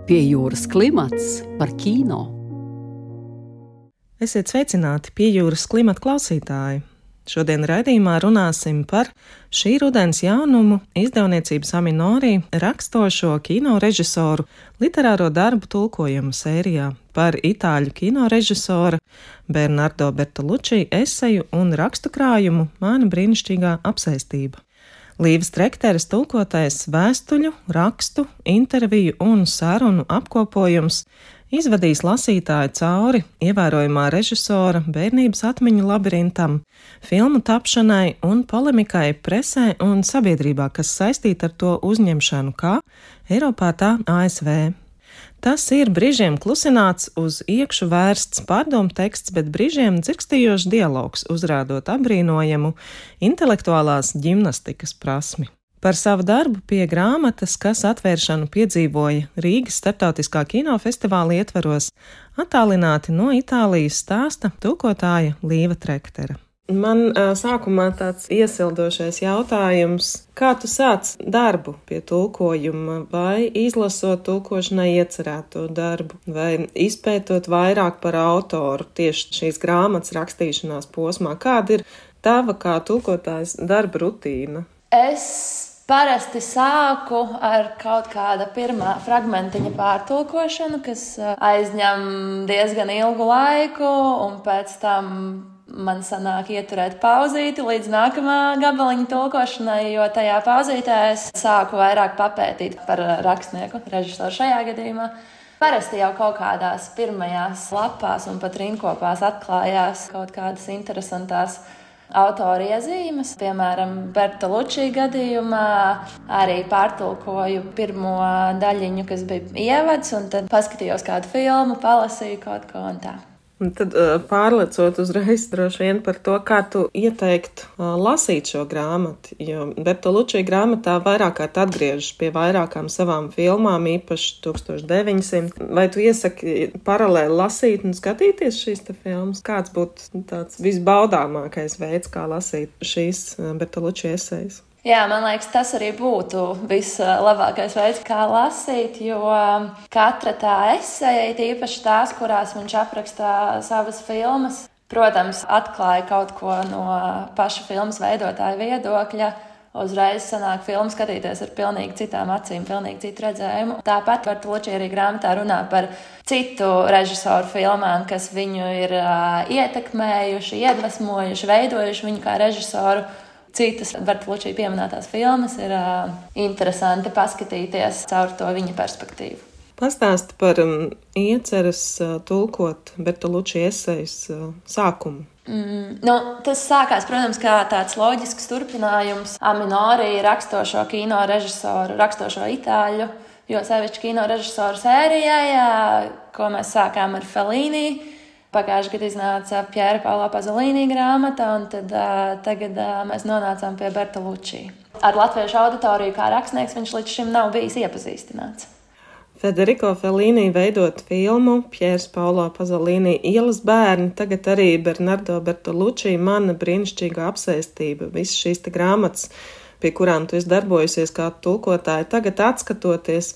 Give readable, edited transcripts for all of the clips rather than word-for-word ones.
Pie jūras klimats par kino. Esiet sveicināti Pie jūras klimata klausītāji. Šodien raidījumā runāsim par šī rudens jaunumu izdevniecības Aminori rakstošo kino režisoru literāro darbu tulkojumu sērijā, par itāļu kino režisora Bernardo Bertolucci eseju un rakstu krājumu Mana brīnišķīgā apsēstība. Līves Trekteres tulkotais vēstuļu, rakstu, interviju un sarunu apkopojums izvadīs lasītāju cauri ievērojamā režisora bērnības atmiņu labirintam, filmu tapšanai un polemikai presē un sabiedrībā, kas saistīta ar to uzņemšanu kā Eiropā, tā ASV. Tas ir brīžiem klusināts, uz iekšu vērsts pārdomu teksts, bet brīžiem dzirkstījošs dialogs, uzrādot apbrīnojamu intelektuālās ģimnastikas prasmi. Par savu darbu pie grāmatas, kas atvēršanu piedzīvoja Rīgas starptautiskā kinofestivāla ietvaros, attālināti no Itālijas stāsta tulkotāja Līva Trektera. Man sākumā tāds iesildošais jautājums, kā tu sāc darbu pie tulkojuma, vai izlasot tulkošanai iecerēto darbu, vai izpētot vairāk par autoru tieši šīs grāmatas rakstīšanās posmā? Kāda ir tava kā tulkotājas darba rutīna? Es parasti sāku ar kaut kāda pirmā fragmentiņa pārtulkošanu, kas aizņem diezgan ilgu laiku, un pēc tam man sanāk ieturēt pauzīti līdz nākamā gabaliņa tulkošanai, jo tajā pauzītē es sāku vairāk papētīt par rakstnieku, režisoru šajā gadījumā. Parasti jau kaut kādās pirmajās lapās un pat rindkopās atklājās kaut kādas interesantās autora iezīmes. Piemēram, Bertolucci gadījumā arī pārtulkoju pirmo daļiņu, kas bija ievads, un tad paskatījos kādu filmu, palasīju kaut ko un tā. Un tad pārlecot uzreiz droši vien par to, kā tu ieteiktu lasīt šo grāmatu, jo Bertolucci grāmatā vairāk kārt atgriežas pie vairākām savām filmām, īpaši 1900. Vai tu iesaki paralēli lasīt un skatīties šīs te filmas? Kāds būtu tāds visbaudāmākais veids, kā lasīt šīs Bertolucci esejas? Jā, man liekas, tas arī būtu vislabākais veids, kā lasīt, jo katra tā eseja, īpaši tās, kurās viņš aprakstā savas filmas, protams, atklāja kaut ko no paša filmas veidotāja viedokļa. Uzreiz sanāk filmu skatīties ar pilnīgi citām acīm, pilnīgi citu redzējumu. Tāpat Bertolucci arī grāmatā runā par citu režisoru filmām, kas viņu ir ietekmējuši, iedvesmojuši, veidojuši viņu kā režisoru. Citas Bertolucci pieminētās filmas ir interesanti paskatīties caur to viņa perspektīvu. Pastāsti par ieceres tulkot Bertolucci esejas sākumu. Tas sākās, protams, kā tāds loģisks turpinājums Aminori rakstošo kino režisoru, rakstošo itāļu, jo sevišķi kino režisoru sērijai, ko mēs sākām ar Fellini. Pagājušajā gadā iznāca Piera Paolo Pasolini grāmata, un tad tagad mēs nonācām pie Bertolucci. Ar latviešu auditoriju kā rakstnieks viņš līdz šim nav bijis iepazīstināts. Federico Fellini veidot filmu Piers Paolo Pasolini Ielas bērni, tagad arī Bernardo Bertolucci Mana brīnišķīgā apsēstība. Visas šīs te grāmatas, pie kurām tu esi darbojusies kā tulkotāja, tagad atskatoties,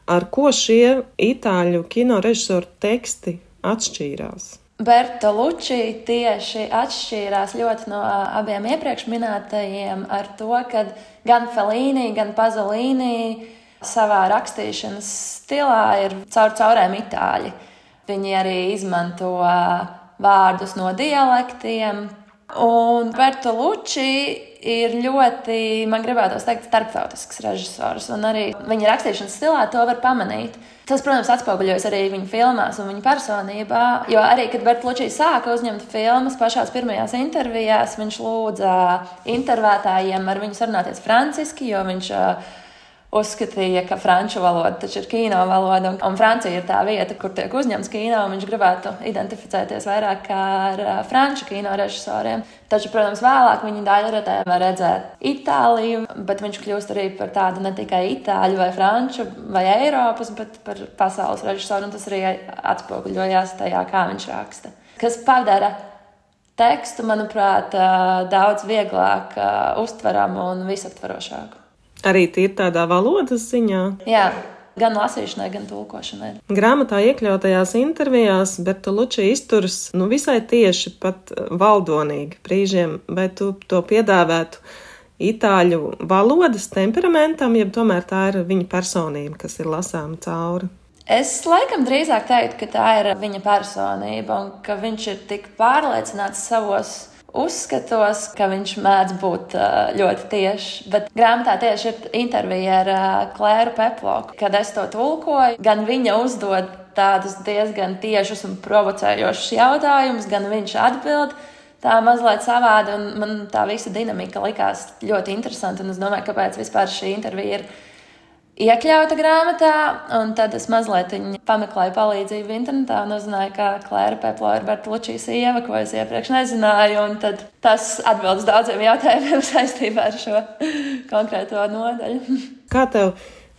ar ko šie itāļu kino režisoru teksti atšķīrās? Bertolucci tieši atšķīrās ļoti no abiem iepriekš minētajiem ar to, ka gan Fellini, gan Pasolini savā rakstīšanas stilā ir caurēm itāļi. Viņi arī izmanto vārdus no dialektiem. Un Bertolucci ir ļoti, man gribētos teikt, starptautisks režisors. Un arī viņa rakstīšanas stilā to var pamanīt. Tas, protams, atspoguļojas arī viņa filmās un viņa personībā. Jo arī, kad Bertolucci sāka uzņemt filmas pašās pirmajās intervijās, viņš lūdza intervētājiem ar viņu sarunāties franciski, jo viņš uzskatīja, ka franču valoda taču ir kino valoda, un Francija ir tā vieta, kur tiek uzņemts kino, un viņš gribētu identificēties vairāk ar franču kino režisoriem. Taču, protams, vēlāk viņa daļradē var redzēt Itāliju, bet viņš kļūst arī par tādu ne tikai itāļu vai franču vai Eiropas, bet par pasaules režisoru, un tas arī atspoguļojās tajā, kā viņš raksta. Kas padara tekstu, manuprāt, daudz vieglāk uztveramu un visaptvarošāku. Arī tīri tādā valodas ziņā? Jā, gan lasīšanai, gan tulkošanai. Grāmatā iekļautajās intervijās Bertolucci izturas visai tieši, pat valdonīgi brīžiem, vai tu to piedāvētu itāļu valodas temperamentam, jeb tomēr tā ir viņa personība, kas ir lasāma cauri? Es laikam drīzāk teiktu, ka tā ir viņa personība un ka viņš ir tik pārliecināts savos uzskatos, ka viņš mēdz būt ļoti tieši. Bet grāmatā tieši ir intervija ar Klēru Peplo, kad es to tulkoju. Gan viņa uzdod tādus diezgan tiešus un provocējošus jautājumus, gan viņš atbild tā mazliet savādi. Un man tā visa dinamika likās ļoti interesanta. Un es domāju, kāpēc vispār šī intervija ir iekļauta grāmatā, un tad es mazliet pameklēju palīdzību internetā un uzzināju, ka Klēra Peplo ir Bertolucci sieva, ko es iepriekš nezināju, un tad tas atbild uz daudziem jautājumiem saistībā ar šo konkrēto nodaļu. Kā tev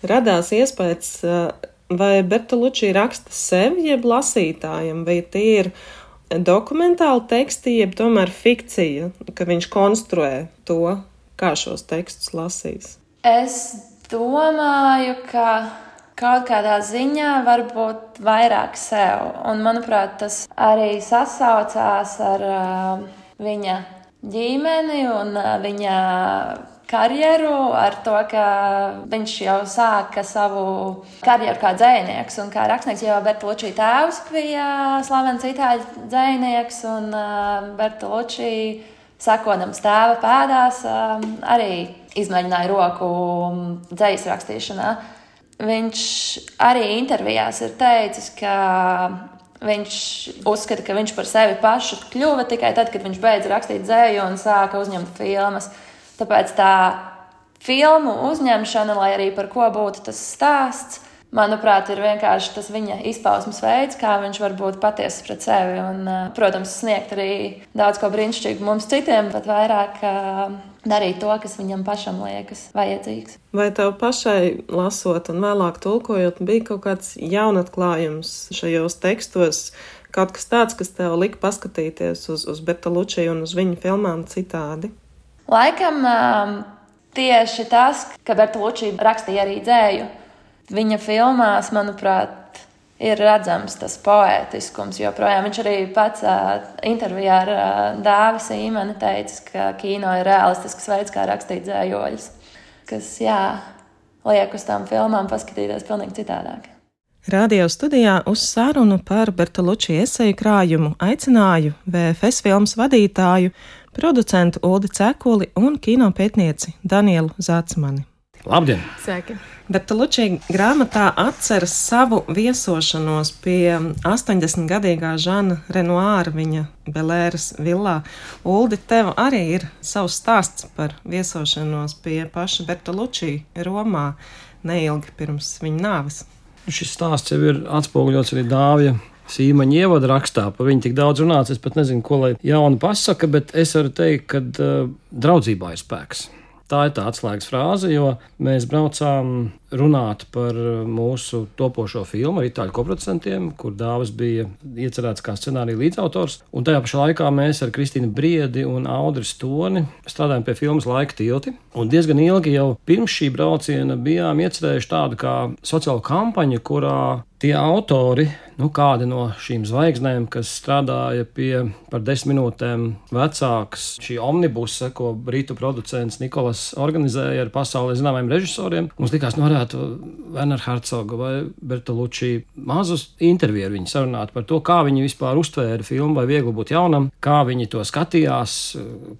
radās iespējas, vai Bertolucci raksta sev, jeb lasītājiem, vai tie ir dokumentāli teksti, jeb tomēr fikcija, ka viņš konstruē to, kā šos tekstus lasīs? Es domāju, ka kaut kādā ziņā varbūt vairāk sev. Un, manuprāt, tas arī sasaucās ar viņa ģimeni un viņa karjeru, ar to, ka viņš jau sāka savu karjeru kā dzejnieks un kā rakstnieks, jo Bertolucci tēvs bija slavens itāļu dzejnieks, un Bertolucci, sekodams tēva pēdās, arī izmēģināja roku dzejas rakstīšanā. Viņš arī intervijās ir teicis, ka viņš uzskata, ka viņš par sevi pašu kļuva tikai tad, kad viņš beidza rakstīt dzeju un sāka uzņemt filmas. Tāpēc tā filmu uzņemšana, lai arī par ko būtu tas stāsts, manuprāt, ir vienkārši tas viņa izpausmes veids, kā viņš var būt patiesas pret sevi un, protams, sniegt arī daudz ko brīnišķīgu mums citiem, bet vairāk darīt to, kas viņam pašam liekas vajadzīgs. Vai tev pašai lasot un vēlāk tulkojot bija kaut kāds jaunatklājums šajos tekstos, kaut kas tāds, kas tev lika paskatīties uz Bertolucci un uz viņa filmām citādi? Laikam tieši tas, ka Bertolucci rakstīja arī dzēju. Viņa filmās, manuprāt, ir redzams tas poētiskums, joprojām viņš arī pats intervijā ar Dāvi Sīmeni teica, ka kino ir realistisks veids, kā rakstīt dzējoļus, kas, liek uz tām filmām paskatīties pilnīgi citādāk. Radio studijā uz sarunu par Bertolucci eseju krājumu aicināju VFS filmas vadītāju, producentu Uldi Cekuli un kinopētnieci Danielu Zacmani. Labdien! Sveiki! Bertolucci grāmatā atceras savu viesošanos pie 80-gadīgā Žana Renoāra viņa Belēras villā. Uldi, tev arī ir savs stāsts par viesošanos pie paša Bertolucci Romā neilgi pirms viņa nāves. Šis stāsts jau ir atspoguļots arī Dāvija Sīmaņa ievada rakstā. Par viņu tik daudz runāts, es pat nezinu, ko lai jaunu pasaka, bet es varu teikt, ka draudzībā ir spēks. Tā ir tā atslēgas frāze, jo mēs braucām runāt par mūsu topošo filmu ar itāļu koproducentiem, kur Dāvis bija iecerēts kā scenārija līdzautors. Un tajā pašā laikā mēs ar Kristīnu Briedi un Audri Stoni strādājām pie filmas Laika tilti. Un diezgan ilgi jau pirms šī brauciena bijām iecerējuši tādu kā sociālu kampaņu, kurā tie autori, kādi no šīm zvaigznēm, kas strādāja pie par 10 minūtēm vecākas šī omnibusa, ko britu producents Nikolas organizēja ar pasaulē zināmiem režisoriem, mums likās, varētu Werner Herzoga vai Bertolucci mazus interviju ar viņu sarunāt par to, kā viņi vispār uztvēra filmu Vai viegli būt jaunam, kā viņi to skatījās,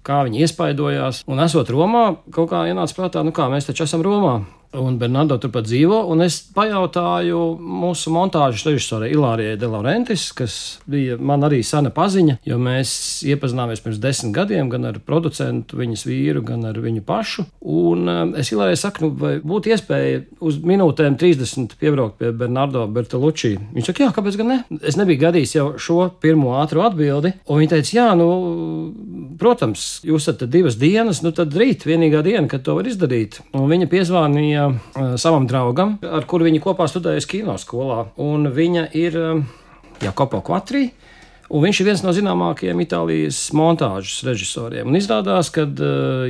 kā viņi iespaidojās. Un esot Romā, kaut kā ienāca prātā, kā mēs taču esam Romā. Un Bernardo turpat dzīvo, un es pajautāju mūsu montāžas režisorei Ilārijai De Laurentiis, kas bija man arī sena paziņa, jo mēs iepazināmies pirms 10 gadiem gan ar producentu, viņas vīru, gan ar viņu pašu. Un es Ilārijai saku, vai būtu iespēja uz minūtēm 30 piebraukt pie Bernardo Bertolucci. Viņš saka, jā, kāpēc gan ne? Es nebiju gadījis jau šo pirmo ātru atbildi, un viņa teica, jā, protams, jūs esat 2 dienas, tad rīt vienīgā diena, kad to var izdarīt. Un viņa piezvānīja savam draugam, ar kuru viņa kopā studējusi kinoskolā. Un viņa ir Jakopo Kvatrī, Un viņš ir viens no zināmākajiem Itālijas montāžas režisoriem. Un izrādās, ka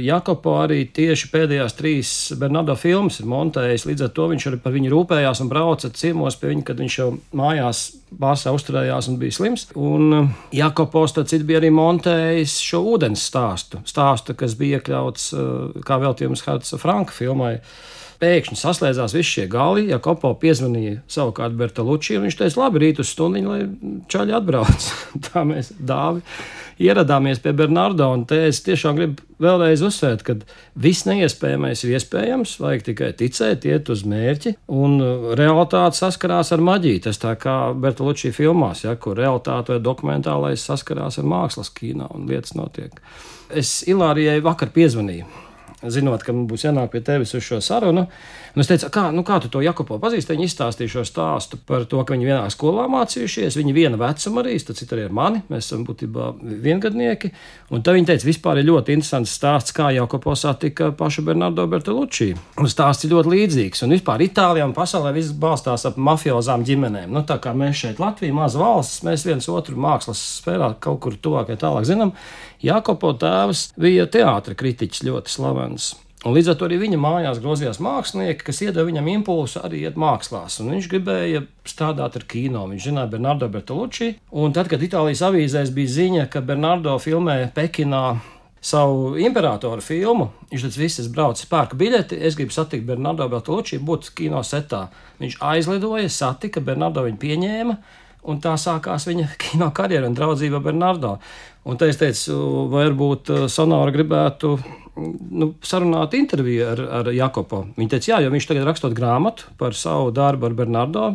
Jacopo arī tieši pēdējās 3 Bernardo filmas ir montējis, līdz ar to viņš arī par viņu rūpējās un brauca ciemos pie viņa, kad viņš jau mājās Bārsā uzturējās un bija slims. Un Jacopo starp bija arī montējis šo ūdens stāstu, kas bija iekļauts kā veltījums Herca Franka filmai. Pēkšņi saslēdzās visi šie gali, Jacopo piezvanīja savukārt Bertolucci, un viņš teica, labi, rīt uz stundiņu, lai čaļi atbrauc. Tā mēs Dāvi ieradāmies pie Bernardo, un te es tiešām gribu vēlreiz uzsvērt, ka viss neiespējamais ir iespējams, vajag tikai ticēt, iet uz mērķi, un realitāte saskarās ar maģiju. Tas tā kā Bertolucci filmās, ja, kur realitāte vai dokumentālais saskarās ar mākslas kino, un lietas notiek. Es Ilārijai vakar piezvanīju, zinot, ka man būs jānāk pie tevis uz šo sarunu. Un es teicu, kā tu to Jacopo pazīsti? Viņi izstāstīja šo stāstu par to, ka viņi vienā skolā mācījušies, viņi viena vecuma arī, tad cita arī ar mani, mēs esam būtībā viengadnieki. Un tad viņi teica, vispār ir ļoti interesants stāsts, kā Jacopo satika pašu Bernardo Bertolucci. Un stāsts ir ļoti līdzīgs, un vispār Itālijā un pasaulē viss balstās ap mafiozām ģimenēm. Nu, tā kā mēs šeit Latvija, maza valsts, mēs viens otru mākslas sfērā kaut kur tuvāk vai tālāk zinām. Jacopo tēvs bija teātra kritiķis ļoti slavens. Un līdz ar to arī viņa mājās grozījās mākslinieki, kas iedeva viņam impulsu arī iet mākslās. Un viņš gribēja strādāt ar kino. Viņš zināja Bernardo Bertolucci. Un tad, kad Itālijas avīzēs bija ziņa, ka Bernardo filmē Pekinā savu imperatoru filmu, viņš teica, viss, es braucu, pērku biļeti, es gribu satikt Bernardo Bertolucci, būt kino setā. Viņš aizlidoja, satika, Bernardo viņu pieņēma. Un tā sākās viņa kino karjera un draudzība Bernardo. Un te es teicu, varbūt Sonora gribētu sarunāt interviju ar Jacopo. Viņa teica, jā, jo viņš tagad rakstot grāmatu par savu darbu ar Bernardo.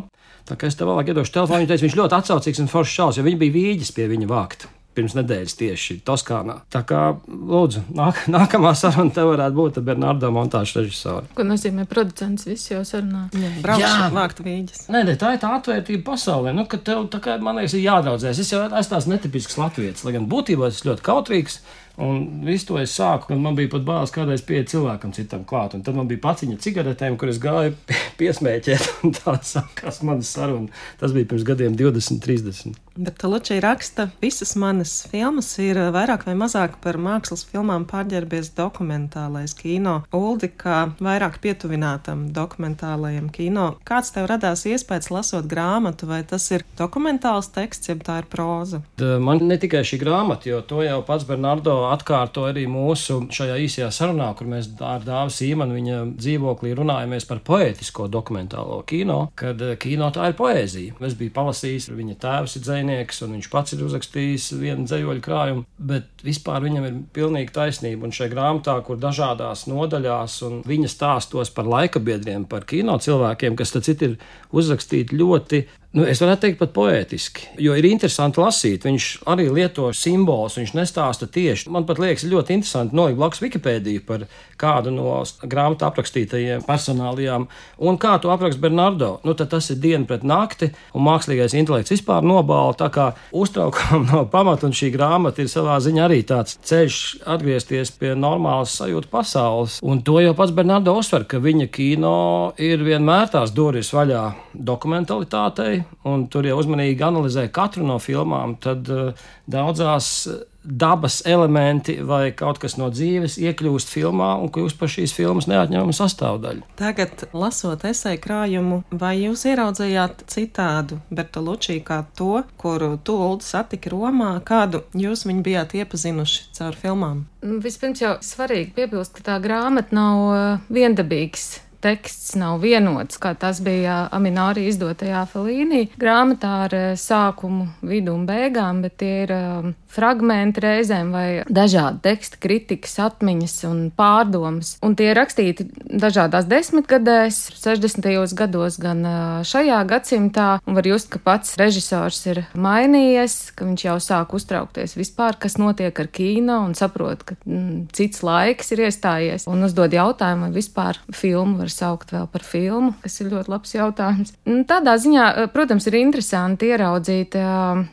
Tā kā es tev vēlāk iedošu telefonu, viņa teica, viņš ļoti atsaucīgs un foršs čalis, jo viņi bija vīģis pie viņa vākt pirms nedēļas tieši Toskānā. Tā kā, lūdzu, nākamā saruna tev varētu būt ar Bernardo montāžu režisoru. Ko nozīmē producents? Viss jau sarunā. Braukšu vākt vīģis. Nē, tā ir tā atvērtība pasaulē. Nu, ka tev, tā kā, man liekas, ir jādraudzēs. Es jau esmu tās netipisks latvietis, lai gan būtībā es ļoti kautrīgs. Un visu to es sāku, kad man bija pat bailes kādreiz pieiet cilvēkam citam klāt. Un tad man bija paciņa cigaretēm, kur es gāju piesmēķēt. Un tā sākās manas saruna. Tas bija pirms gadiem 20, 30. Bertolucci raksta, visas manas filmas ir vairāk vai mazāk par mākslas filmām pārģērbies dokumentālais kino. Uldi, kā vairāk pietuvinātam dokumentālajam kino. Kāds tev radās iespējas lasot grāmatu, vai tas ir dokumentāls teksts, jeb tā ir próza? Man ne tikai šī grāmata, jo to jau pats Bernardo atkārto arī mūsu šajā īsajā sarunā, kur mēs ar Dāvi Sīmanu viņa dzīvoklī runājamies par poētisko dokumentālo kino, kad kino tā ir poēzija. Es biju palasījis, viņa tēvs ir dzejnieks, un viņš pats ir uzrakstījis vienu dzejoļu krājumu, bet vispār viņam ir pilnīgi taisnība, un šajā grāmatā, kur dažādās nodaļās un viņa stāstos par laikabiedriem, par kino cilvēkiem, kas tad citi ir uzrakstīti ļoti, es varētu teikt pat poētiski, jo ir interesanti lasīt, viņš arī lieto simbolus, viņš nestāsta tieši. Man pat liekas ļoti interesanti nolikt blakus Wikipēdiju par kādu no grāmatā aprakstītajiem personālijām, un kā to apraksta Bernardo. Tad tas ir diena pret nakti, un mākslīgais intelekts vispār nobāla, tā kā uztraukām no pamata, un šī grāmata ir savā ziņā arī tāds ceļš atgriezties pie normālas sajūta pasaules. Un to jau pats Bernardo uzsver, ka viņa kino ir vienmēr tās durvis vaļā dokumentalitātei, un tur jau uzmanīgi analizē katru no filmām, tad daudzās dabas elementi vai kaut kas no dzīves iekļūst filmā un kļūst par šīs filmas neatņemamu sastāvdaļu. Tagad, lasot eseju krājumu, vai jūs ieraudzījāt citādu Bertolucci kā to, kuru tu, Uldi, satiki Romā, kādu jūs viņu bijāt iepazinuši caur filmām? Vispirms jau svarīgi piebilst, ka tā grāmata nav viendabīgs. Teksts nav vienots, kā tas bija Aminori izdotajā Fellini grāmatā ar sākumu, vidu un beigām, bet tie ir fragmenti reizēm vai dažādi teksti, kritikas, atmiņas un pārdomas. Un tie rakstīti dažādās desmitgadēs, 60. gados, gan šajā gadsimtā, un var just, ka pats režisors ir mainījies, ka viņš jau sāk uztraukties vispār, kas notiek ar kino, un saprot, ka cits laiks ir iestājies, un uzdod jautājumu, vai vispār filmu var saukt vēl par filmu, kas ir ļoti labs jautājums. Tādā ziņā, protams, ir interesanti ieraudzīt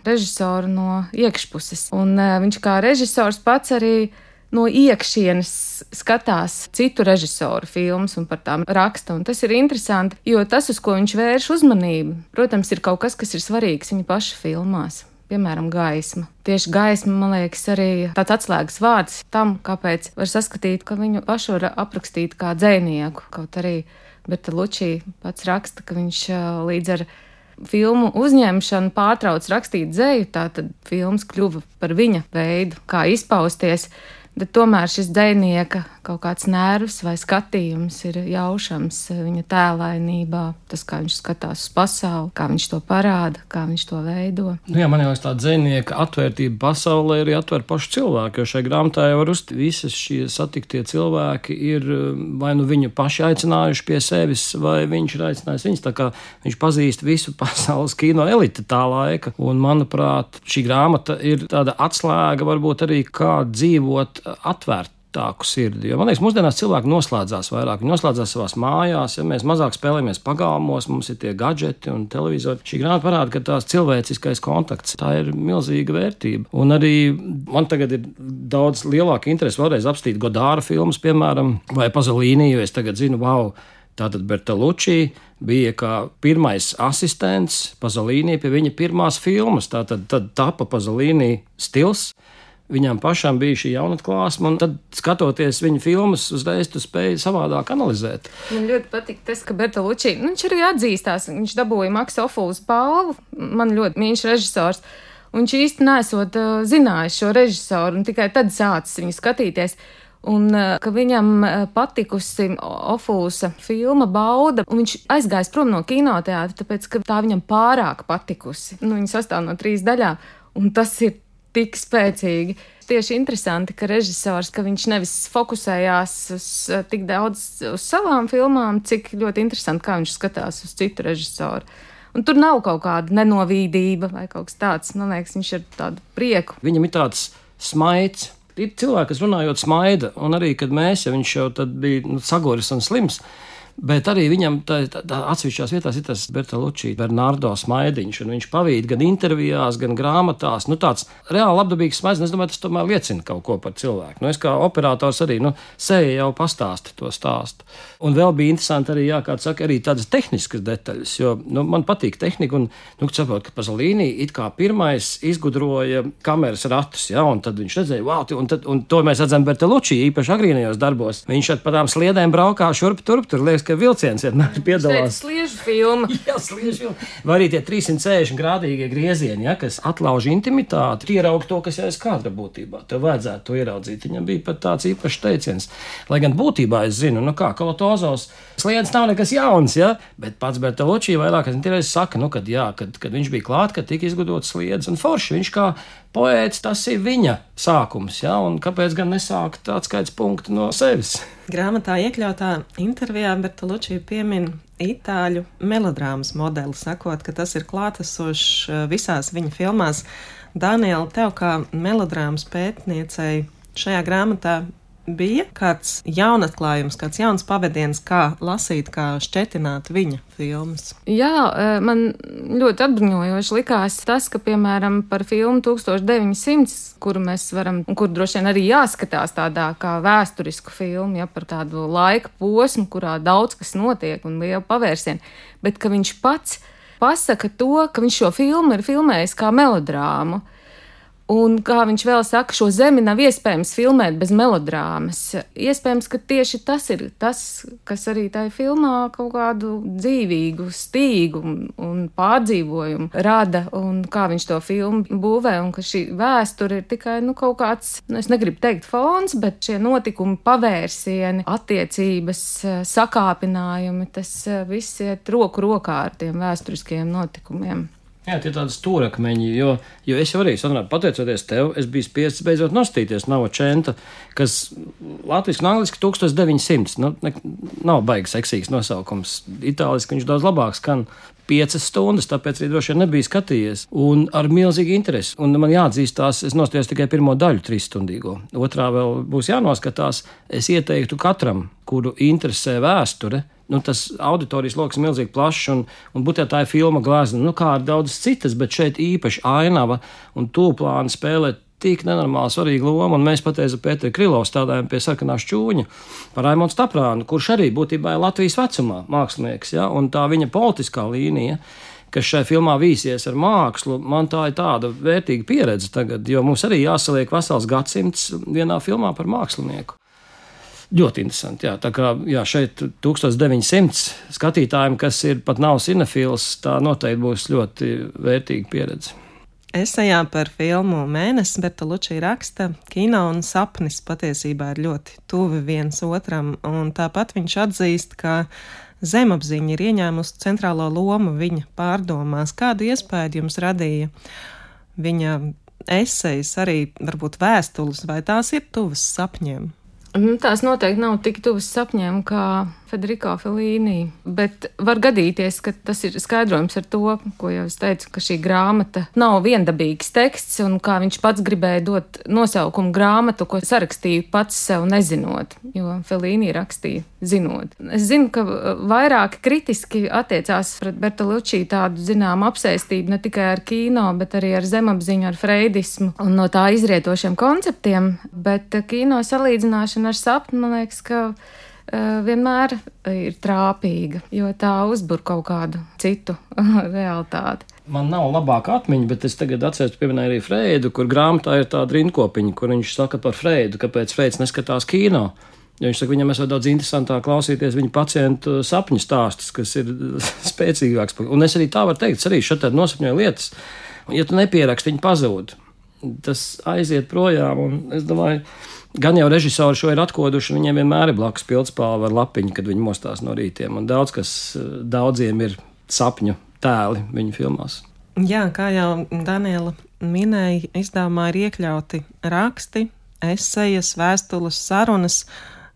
režisoru no iekšpuses, un viņš kā režisors pats arī no iekšienes skatās citu režisoru filmas un par tām raksta, un tas ir interesanti, jo tas, uz ko viņš vērš uzmanību, protams, ir kaut kas, kas ir svarīgs viņa paša filmās. piemēram, gaisma. Tieši gaisma, man liekas, arī tāds atslēgas vārds tam, kāpēc var saskatīt, ka viņu pašu var aprakstīt kā dzejnieku. Kaut arī Bertolucci pats raksta, ka viņš līdz ar filmu uzņemšanu pārtrauc rakstīt dzeju, tātad filmas kļuva par viņa veidu, kā izpausties. Bet tomēr šis dzejnieka kaut kāds nervs vai skatījums ir jaušams viņa tēlainībā. Tas, kā viņš skatās uz pasauli, kā viņš to parāda, kā viņš to veido. Nu jā, man liekas, tā dzejnieka atvērtība pasaulē arī atver pašu cilvēku, jo šai grāmatā jau var uztīt visas šie satiktie cilvēki ir vai nu viņu paši aicinājuši pie sevis, vai viņš ir aicinājis viņus, tā kā viņš pazīst visu pasaules kino eliti tā laika. Un, manuprāt, šī grāmata ir tāda atslēga varbūt arī kā dzīvot atvērtāku sirdi. Jo, man liekas, mūsdienās cilvēki noslēdzās vairāk. Viņi noslēdzās savās mājās, ja mēs mazāk spēlējamies pagalmos, mums ir tie gadžeti un televizori. Šī grāmata parāda, ka tās cilvēciskais kontakts, tā ir milzīga vērtība. Un arī man tagad ir daudz lielāka interese vēlreiz apstīt Godāra filmas, piemēram, vai Pazolīni, jo es tagad zinu, tātad Bertolucci bija kā pirmais asistents Pazolīni pie viņa pirmās filmas. Tātad tapa Pazolīni stils. Viņām pašām bija šī jaunatklāsme, un tad, skatoties viņa filmas, uzreiz tu spēji savādāk analizēt. Man ļoti patīk tas, ka Bertolucci, viņš arī atzīstās, viņš dabūja Maksa Ofulas balvu, man ļoti mīļš režisors, un viņš īsti nesot zinājis šo režisoru, un tikai tad sācis viņu skatīties. Un ka viņam patikusi Ofulsa filma Bauda, un viņš aizgājis prom no kinoteātra, tāpēc, ka tā viņam pārāk patikusi. Viņa sastāv no 3 daļām, un tas ir tik spēcīgi. Tieši interesanti, ka režisors, ka viņš nevis fokusējās uz tik daudz uz savām filmām, cik ļoti interesanti, kā viņš skatās uz citu režisoru. Un tur nav kaut kāda nenovīdība vai kaut kas tāds. Man liekas, viņš ir tādu prieku. Viņam ir tāds smaids. Ir cilvēki, kas runājot smaida, un arī, kad mēs, ja viņš jau tad bija saguris un slims, bet arī viņam tā atsevišķās vietās ir tas Bertolucci, Bernardo smaidiņš, un viņš pavīd gan intervijās, gan grāmatās. Tāds reāli labdabīgs smaids, un es domāju, tas tomēr liecina kaut ko par cilvēku. Es kā operators arī, seja jau pastāsta to stāstu. Un vēl bija interesanti arī, kā saka, arī tādas tehniskas detaļas, jo man patīk tehnika, un saprot, ka Pazolīni it kā pirmais izgudroja kameras ratus, un tad viņš redzēja, un to mēs redzam Bertolucci, īpaši agrīnajos darbos. Viņš pa tām sliedēm braukā šurp turp, tur liekas, ka vilciens vienmēr piedalās. Sliežu filma. Jā, sliežu filma. Vai arī tie 360 grādīgie griezieni, kas atlauž intimitāti, ieraug to, kas jau ir kadra būtībā. Tev vajadzētu to ieraudzīt. Viņam bija pat tāds īpašs teiciens. Lai gan būtībā es zinu, Kalatozos sliedas nav nekas jauns, bet pats Bertolucci vairāk saka, kad viņš bija klāt, kad tika izgudrots sliedas, un forši viņš kā poēts, tas ir viņa sākums, un kāpēc gan nesākt atskaites punktu no sevis? Grāmatā iekļautā intervijā Bertolucci piemin itāļu melodrāmas modeli, sakot, ka tas ir klātesošs visās viņa filmās. Daniela, tev kā melodrāmas pētniecei šajā grāmatā bija kāds jaunatklājums, kāds jauns pavadiens, kā lasīt, kā šķetināt viņa filmas? Jā, man ļoti atbruņojoši likās tas, ka, piemēram, par filmu 1900, kuru mēs varam, un kur droši vien arī jāskatās tādā kā vēsturisku filmu, par tādu laika posmu, kurā daudz kas notiek un liela pavērsiena, bet ka viņš pats pasaka to, ka viņš šo filmu ir filmējis kā melodrāmu. Un, kā viņš vēl saka, šo zemi nav iespējams filmēt bez melodrāmas. Iespējams, ka tieši tas ir tas, kas arī tajā filmā kaut kādu dzīvīgu stīgu un pārdzīvojumu rada, un kā viņš to filmu būvē, un ka šī vēsture ir tikai kaut kāds, es negribu teikt fons, bet šie notikumi, pavērsieni, attiecības, sakāpinājumi, tas viss iet roku rokā ar tiem vēsturiskiem notikumiem. Jā, tie ir tādi stūrakmeņi, jo es jau arī, Sandra, pateicoties tev, es biju spiests beidzot nostīties Novocenta, kas latviski un angliski 1900, nav baigi seksīgs nosaukums. Itāliski viņš daudz labāk skan 5 stundas, tāpēc arī droši vien nebija skatījies, un ar milzīgu interesi. Un man jāatzīstās, es nostājos tikai pirmo daļu 3-stundīgo. Otrā vēl būs jānoskatās. Es ieteiktu katram, kuru interesē vēsture, tas auditorijas loks ir milzīgi plašs, un būtībā tā ir filma glezna, kā ar daudzas citas, bet šeit īpaši ainava un tūplāni spēlē tik nenormāli svarīgu lomu, un mēs pateicu Pēteri Krilovu stādājam pie sarkanā šķūņa par Raimondu Staprānu, kurš arī būtībā ir Latvijas vecumā mākslinieks, un tā viņa politiskā līnija kas šai filmā vīsies ar mākslu, man tā ir tāda vērtīga pieredze tagad, jo mums arī jāsaliek vesels gadsimts vienā filmā par mākslinieku. Ļoti interesanti, jā. Tā kā šeit 1900 skatītājiem, kas ir pat nav cinefils, tā noteikti būs ļoti vērtīga pieredze. Esejā par filmu Mēnesis Bertolucci raksta, kino un sapnis patiesībā ir ļoti tuvi viens otram, un tāpat viņš atzīst, ka zemapziņa ir ieņēmusi centrālo lomu viņa pārdomās. Kādu iespēju jums radīja viņa esejas, arī varbūt vēstules, vai tās ir tuvas sapņiem? Tās noteikti nav tik tuvas sapņiem kā Federico Fellini, bet var gadīties, ka tas ir skaidrojums ar to, ko jau es teicu, ka šī grāmata nav viendabīgs teksts, un kā viņš pats gribēja dot nosaukumu grāmatu, ko sarakstīja pats sev nezinot, jo Fellini rakstīja zinot. Es zinu, ka vairāk kritiski attiecās pret Bertolucci tādu zinām apsēstību ne tikai ar kino, bet arī ar zemapziņu, ar freidismu un no tā izrietošiem konceptiem, bet kino salīdzināšana ar sapni, man liekas, ka vienmēr ir trāpīga, jo tā uzbur kaut kādu citu realitāti. Man nav labāka atmiņa, bet es tagad atceros, pieminēju arī Freidu, kur grāmatā ir tāda rindkopiņa, kur viņš saka par Freidu, kāpēc Freids neskatās kino. Jo viņš saka, viņam esot daudz interesantāk klausīties viņa pacientu sapņu stāstus, kas ir spēcīgāks. Un es arī tā varu teikt, es arī šeit nosapņoju lietas, un ja tu nepieraksti, viņi pazūd. Tas aiziet projām, un es domāju, gan jau režisori šo ir atkoduši, viņiem vienmēr ir blakus pildspalva ar lapiņu, kad viņi mostās no rītiem, un daudziem ir sapņu tēli viņu filmās. Jā, kā jau Daniela minēja, izdevumā ir iekļauti raksti, esejas, vēstules, sarunas,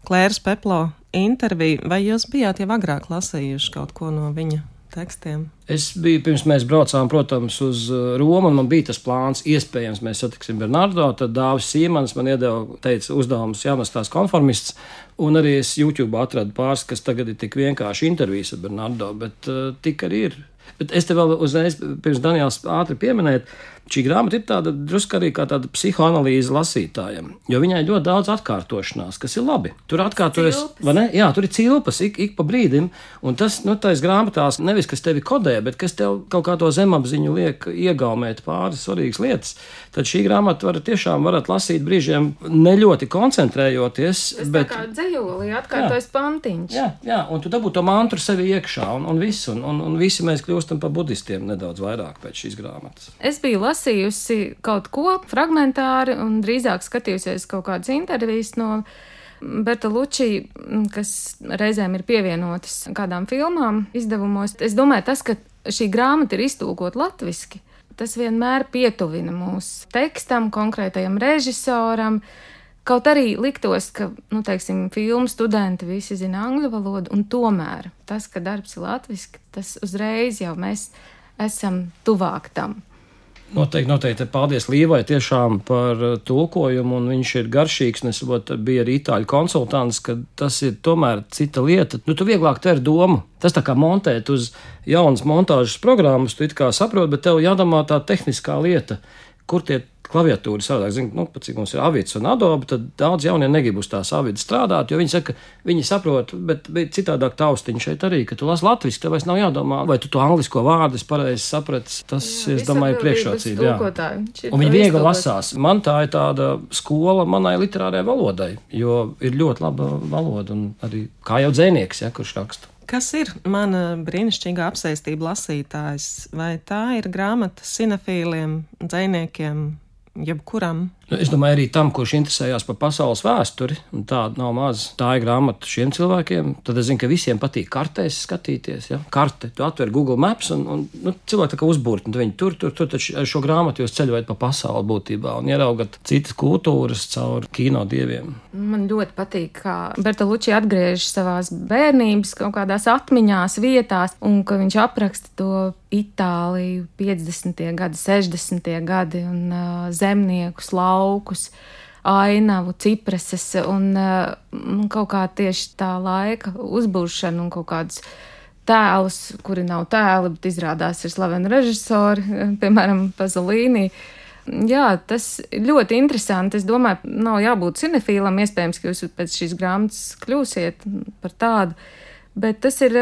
Klēras Peplo intervija. Vai jūs bijāt jau agrāk lasījuši kaut ko no viņa tekstiem? Es biju, pirms mēs braucām, protams, uz Romu, un man bija tas plāns, iespējams, mēs satiksim Bernardo, tad Dāvis Sīmans man teica uzdevums jānostās konformists, un arī es YouTube atradu pāris, kas tagad ir tik vienkārši intervijas ar Bernardo, bet tik arī ir. Bet es te vēl uzreiz, pirms Daniels ātri pieminēt, šī grāmata ir tāda drusku arī kā tāda psihoanalīze lasītājiem, jo viņai ļoti daudz atkārtošanās, kas ir labi. Tur atkārtojas, vai ne? Jā, tur ir cilpas ik pa brīdim, un tas, tais grāmatās nevis, kas tevi kodē, bet kas tev kaut kā to zemapziņu liek iegaumēt pāris svarīgas lietas. Tad šī grāmata varat lasīt brīžiem ne ļoti koncentrējoties, bet... Tā kā dzejolī atkārtojas pantiņš. Jā, un tu dabū to mantru sevi iekšā, un visu, un visi mēs kļūstam par budistiem nedaudz vairāk pēc šīs grāmatas. Es biju lasījusi kaut ko fragmentāri un drīzāk skatījusies kaut kādas intervijas no Bertolucci, kas reizēm ir pievienotas kādām filmām izdevumos. Es domāju, tas, ka šī grāmata ir iztulkot latviski, tas vienmēr pietuvina mūsu tekstam, konkrētajam režisoram. Kaut arī liktos, ka, filmu studenti visi zina angļu valodu, un tomēr tas, ka darbs ir latviski, tas uzreiz jau mēs esam tuvāk tam. Noteikti. Paldies Līvai tiešām par tulkojumu, un viņš ir garšīgs, un es biju arī itāļu konsultants, ka tas ir tomēr cita lieta. Tu vieglāk tver domu. Tas tā kā montēt uz jaunas montāžas programmas, tu it kā saproti, bet tev jādomā tā tehniskā lieta, kur tie klaviatūri savādāk. Zinu, cik mums ir Avids un Adobe, tad daudz jaunie negrib uz tās Avidas strādāt, jo viņi saka, viņi saprot, bet citādāk taustiņi šeit arī, ka tu lasi latviski, tev vairs nav jādomā, vai tu to anglisko vārdu pareizi saprati. Tas, es domāju, priekšrocība. Jā. Un viņi viegli lasās. Man tā ir tāda skola manai literārajai valodai, jo ir ļoti laba valoda, un arī kā jau dzejnieks, kurš raksta. Kas ir mana brīnišķīgā apsēstība lasītājs? Vai tā ir grāmata cinefīliem, dzejniekiem, jebkuram? Es domāju, arī tam, kurš interesējās par pasaules vēsturi, un tāda nav maz. Tā ir grāmata šiem cilvēkiem. Tad es zinu, ka visiem patīk kartēs skatīties. Ja? Karte, tu atver Google Maps, un cilvēki tā kā uzbūrt, un viņi tur, tad šo grāmatu jūs ceļojat pa pasauli būtībā un ieraugat citas kultūras caur kino dieviem. Man ļoti patīk, kā Bertolucci atgriežas savās bērnības kaut kādās atmiņās, vietās, un ka viņš apraksta to Itāliju 50. gadi, 60. gadi un zemniekus, laukus, ainavu, cipreses un kaut kā tieši tā laika uzbūšana un kaut kādus tēlus, kuri nav tēli, bet izrādās ir slaveni režisori, piemēram, Pasolini. Jā, tas ļoti interesanti. Es domāju, nav jābūt cinefīlam, iespējams, ka jūs pēc šīs grāmatas kļūsiet par tādu, bet tas ir,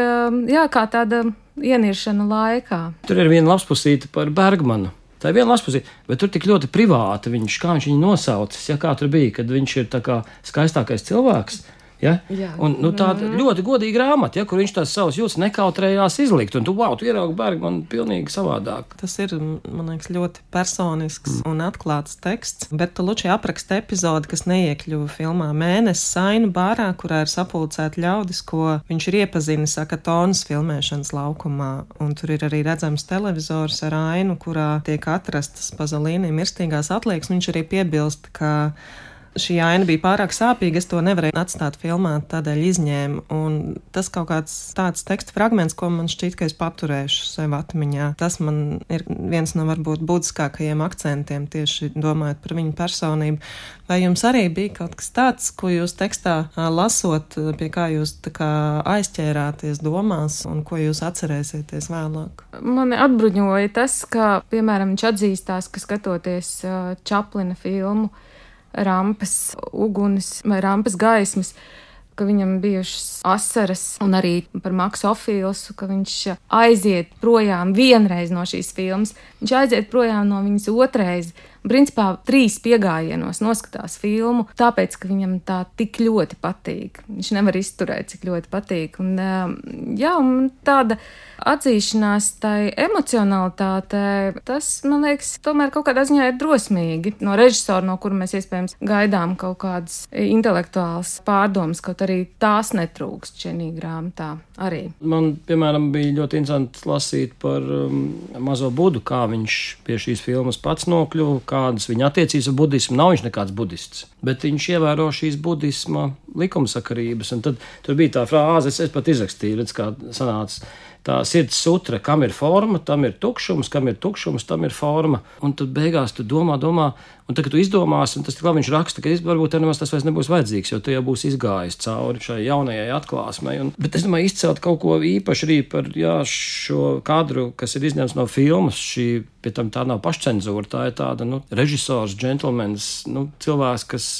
kā tāda ieniršanu laikā. Tur ir viena lapspusīte par Bergmanu. Tā ir viena lapspusīte, bet tur tik ļoti privāti kā viņš viņu nosaucis, ja kā tur bija, kad viņš ir tā kā skaistākais cilvēks. Ja? Jā. Un tāda ļoti godīga grāmata, ja, kur viņš tās savas jūtas nekautrējās izlikt, un tu ieraugi Bergmanu pilnīgi savādāk. Tas ir, man liekas, ļoti personisks un atklāts teksts. Bertolucci apraksta epizodi, kas neiekļuva filmā Mēnesis Sainu bārā, kurā ir sapulcēti ļaudis, ko viņš ir iepazinis Akatonas filmēšanas laukumā. Un tur ir arī redzams televizors ar ainu, kurā tiek atrastas Pazolīni mirstīgās atliekas. Viņš arī piebilst, ka šī aina bija pārāk sāpīga, es to nevarēju atstāt filmā, tādēļ izņēmu. Un tas kaut kāds tāds teksta fragments, ko man šķiet, ka es paturēšu sev atmiņā. Tas man ir viens no varbūt būtiskākajiem akcentiem, tieši domājot par viņu personību. Vai jums arī bija kaut kas tāds, ko jūs tekstā lasot, pie kā jūs tā kā aizķērāties domās un ko jūs atcerēsieties vēlāk? Mani atbruņoja tas, ka, piemēram, viņš atzīstās, ka skatoties Čaplina filmu Rampas uguns vai Rampas gaismas, ka viņam bijušas asaras, un arī par Maksu Ofīlsu, ka viņš aiziet projām vienreiz no šīs filmas, viņš aiziet projām no viņas otrreiz. Principā 3 piegājienos noskatās filmu, tāpēc, ka viņam tā tik ļoti patīk. Viņš nevar izturēt, cik ļoti patīk. Un tāda atzīšanās tai emocionalitātei, tas, man liekas, tomēr kaut kādā ziņā ir drosmīgi. No režisora, no kura mēs iespējams gaidām kaut kādas intelektuālas pārdomas, kaut arī tās netrūkst šajā grāmatā arī. Man, piemēram, bija ļoti interesanti lasīt par mazo Budu, kā viņš pie šīs filmas pats nokļuva, kādas viņa attiecības ar budismu. Nav viņš nekāds budists, bet viņš ievēro šīs budisma likumsakarības. Un tad tur bija tā frāze, es pat izrakstīju, redz, kā sanāca tā sirds sutra, kam ir forma, tam ir tukšums, kam ir tukšums, tam ir forma. Un tad beigās tu domā, un tad, kad tu izdomāsi, un tas tik labi viņš raksta, ka varbūt nemaz tas vairs nebūs vajadzīgs, jo tu jau būsi izgājis cauri šai jaunajai atklāsmei. Bet es domāju, izcelt kaut ko īpaši arī par šo kadru, kas ir izņemts no filmas, pie tam tā nav pašcenzūra, tā ir tāda, režisors, džentlmenis, cilvēks, kas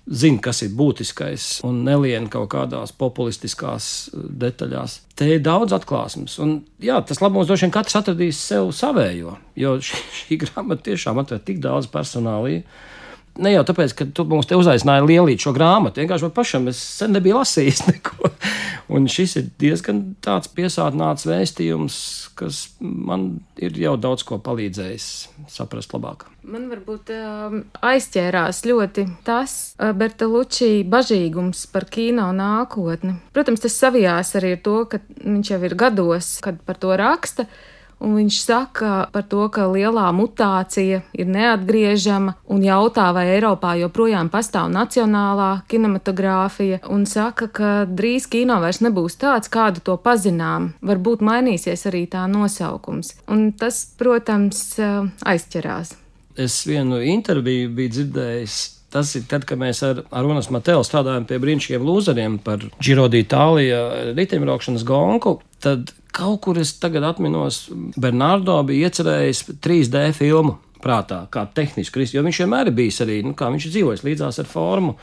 zina, kas ir būtiskais un nelien kaut kādās populistiskās detaļās. Te ir daudz atklāsmes. Un jā, tas labums droši vien katrs atradīs sev savējo, jo šī grāmata tiešām atver tik daudz personālī. Ne jau tāpēc, ka tu mums te uzaicināja lielīt šo grāmatu, vienkārši man pašam es sen nebiju lasījis neko. Un šis ir diezgan tāds piesātināts vēstījums, kas man ir jau daudz ko palīdzējis saprast labāk. Man varbūt aizķērās ļoti tas Bertolucci bažīgums par kino nākotni. Protams, tas savijās arī ar to, ka viņš jau ir gados, kad par to raksta. Un viņš saka par to, ka lielā mutācija ir neatgriežama un jautā, vai Eiropā joprojām pastāv nacionālā kinematogrāfija, un saka, ka drīz kino vairs nebūs tāds, kādu to pazinām. Varbūt mainīsies arī tā nosaukums. Un tas, protams, aizķerās. Es vienu interviju biju dzirdējis. Tas ir tad, kad mēs ar Arunas Matelu strādājam pie brīnišķīgiem lūzeriem par Giro d'Italia riteņbraukšanas gonku, tad kaut kur es tagad atminos, Bernardo bija iecerējis 3D filmu prātā, kā tehnisku, jo viņš vienmēr ir bijis arī, kā viņš ir dzīvojis līdzās ar formu.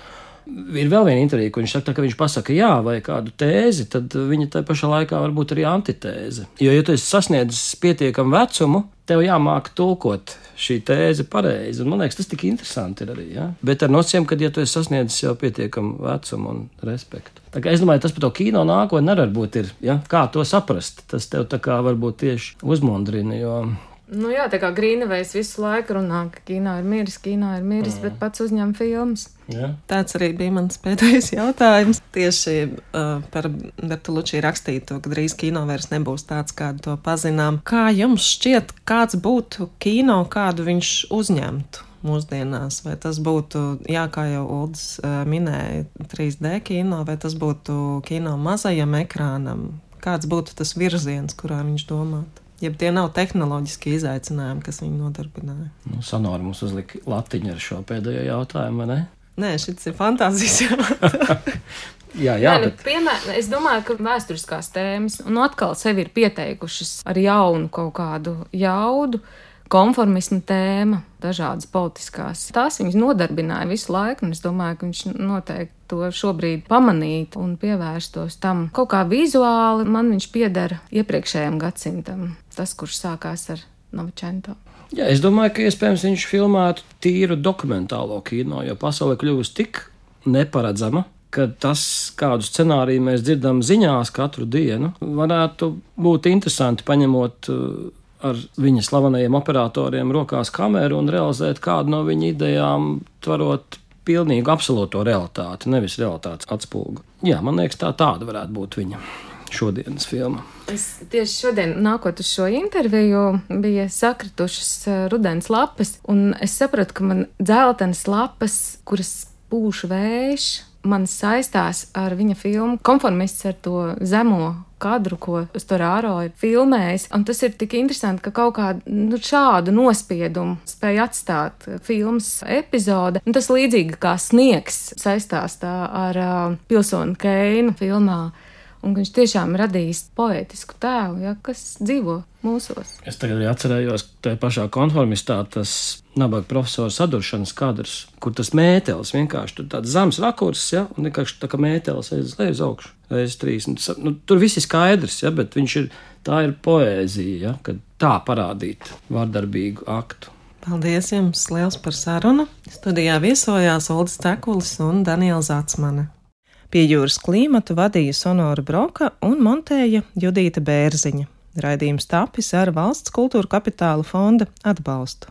Ir vēl viena intervija, kur viņš saka, ka viņš pasaka jā vai kādu tēzi, tad viņa tai pašā laikā varbūt arī antitēze. Jo, ja tu esi sasniedzis pietiekamu vecumu, tev jāmāk tulkot šī tēze pareizi. Un man liekas, tas tik interesanti ir arī, ja? Bet ar nosacījumu, ka, ja tu esi sasniedzis jau pietiekamu vecumu un respektu. Tā kā es domāju, tas par to kino nākotnē nevar būt ir, ja? Kā to saprast? Tas tev tā kā varbūt tieši uzmundrina, jo... Jā, tā kā Grīnevejs visu laiku runā, ka kino ir miris, bet pats uzņem filmas. Jā. Tāds arī bija mans pēdējais jautājums. Tieši par Bertolucci rakstīto, ka drīz kino vairs nebūs tāds, kādu to pazinām. Kā jums šķiet, kāds būtu kino, kādu viņš uzņemtu mūsdienās? Vai tas būtu, kā jau Uldis minēja, 3D kino, vai tas būtu kino mazajam ekrānam? Kāds būtu tas virziens, kurā viņš domātu? Ja tie nav tehnoloģiski izaicinājumi, kas viņu nodarbināja. Sanori mums uzlika latiņu ar šo pēdējo jautājumu, vai ne? Nē, šis ir fantāzijas jautājums. Jā, bet... Es domāju, ka vēsturiskās tēmas un atkal sevi ir pieteikušas ar jaunu kaut kādu jaudu. konformisma tēma, dažādas politiskās. Tās viņas nodarbināja visu laiku, un es domāju, ka viņš noteikti to šobrīd pamanītu un pievērstos tam. Kaut kā vizuāli man viņš piedara iepriekšējam gadsimtam, tas, kurš sākās ar Novčento. Jā, es domāju, ka iespējams viņš filmētu tīru dokumentālo kino, jo pasaule kļūst tik neparedzama, ka tas, kādu scenāriju mēs dzirdam ziņās katru dienu, varētu būt interesanti paņemot ar viņa slavenajiem operatoriem rokās kameru un realizēt kādu no viņa idejām, tvarot pilnīgu absolūto realitāti, nevis realitātes atspulgu. Jā, man liekas, tāda varētu būt viņa šodienas filma. Es tieši šodien, nākot uz šo interviju, bija sakritušas rudens lapas, un es sapratu, ka man dzeltenas lapas, kuras pūš vējš, man saistās ar viņa filmu Konformists, ar to zemo kadru, ko Storaro ir filmējis. Un tas ir tik interesanti, ka kaut kādu šādu nospiedumu spēja atstāt filmas epizode. Un tas līdzīgi kā sniegs saistās tā ar Pilsoni Keinu filmā. Un viņš tiešām radījis poētisku tēlu, ja, kas dzīvo mūsos. Es tagad arī atcerējos, ka tajā pašā Konformistā tas nabaga profesora saduršanas kadrs, kur tas mētelis vienkārši tur tāds zems rakurs, ja, un vienkārši tā kā mētelis aiz leju uz augšu, reiz 3. Tur viss ir skaidrs, ja, bet tā ir poēzija, ja, kad tā parādīt vārdarbīgu aktu. Paldies jums liels par sarunu. Studijā viesojās Uldis Tekulis un Daniela Zacmane. Pie jūras klimatu vadīja Sonora Broka un montēja Judīta Bērziņa. Raidījums tapis ar Valsts kultūra kapitāla fonda atbalstu.